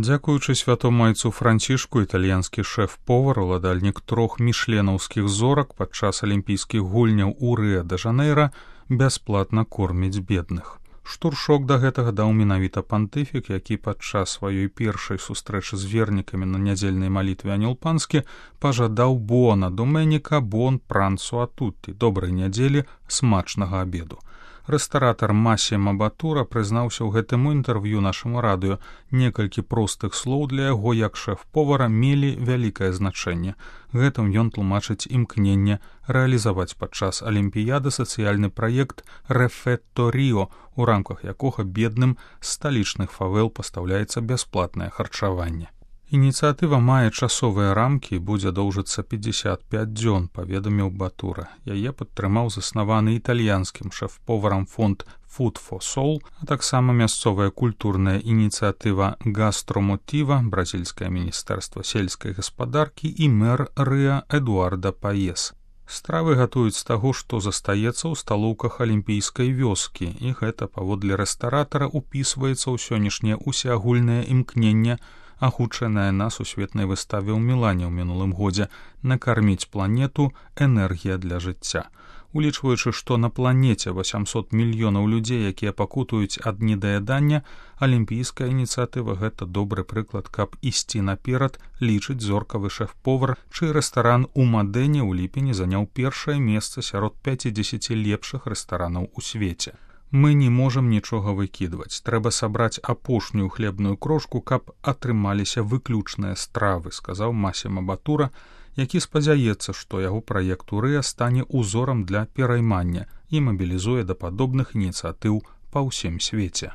Дзякуючы святому айцу Францішку, італьянскі шэф-повар, уладальнік 3 мішленаўскіх зорак падчас алімпійскіх гульняў у Рыа-дэ-Жанэйра бясплатна корміць бедных. Штуршок да гэтага даў менавіта пантыфік, які падчас сваёй першай сустрэчы з вернікамі на нядзельнай малітве Анёл Панскі пажадаў «Буона доменіка, бон прансу атутті» – добрай нядзелі, смачнага абеду. Рэстаратар Масімо Батура прызнаўся ў гэтым інтэрв'ю нашаму радыё. Некалькі простых слоў для яго, як шэф-повара, мелі вялікае значэнне. Гэтым ён тлумачыць імкненне рэалізаваць падчас алімпіяды сацыяльны праект «Рэфетто Ріо», у рамках якога бедным з сталічных фавел пастаўляецца бясплатнае харчаванне. Ініцыятыва мае часовыя рамкі і будзе доўжыцца 55 дзён, паведаміў Батура. Яе падтрымаў заснаваны італьянскім шэф-поварам фонд Food for Soul, а таксама мясцовая культурная ініцыятыва «Гастромотіва», бразільскае міністэрства сельскай гаспадаркі і мэр Рыа Эдуарда Паес. Стравы гатуюць з таго, што застаецца ў сталоўках алімпійскай вёскі, і гэта, паводле рэстаратара, упісваецца ў сённяшняе усеагульнае імкненне, агучанае на сусветнай выставе ў Мілане ў мінулым годзе, накарміць планету «Энергія для жыцця». Улічваючы, што на планеце 800 мільёнаў людзей, якія пакутуюць ад недаядання, алімпійская ініцыятыва – гэта добры прыклад, каб ісці наперад, лічыць зоркавы шэф-повар, чый рэстаран у Мадэне ў ліпені заняў першае месца сярод 50 лепшых рэстаранаў у свеце. Мы не можам нічога выкідваць. Трэба сабраць апошнюю хлебную крошку, каб атрымаліся выключныя стравы, сказаў Масімо Батура, які спадзяецца, што яго праект у Рыа стане узорам для пераймання і мабілізуе да падобных ініцыятыў па ўсім свеце.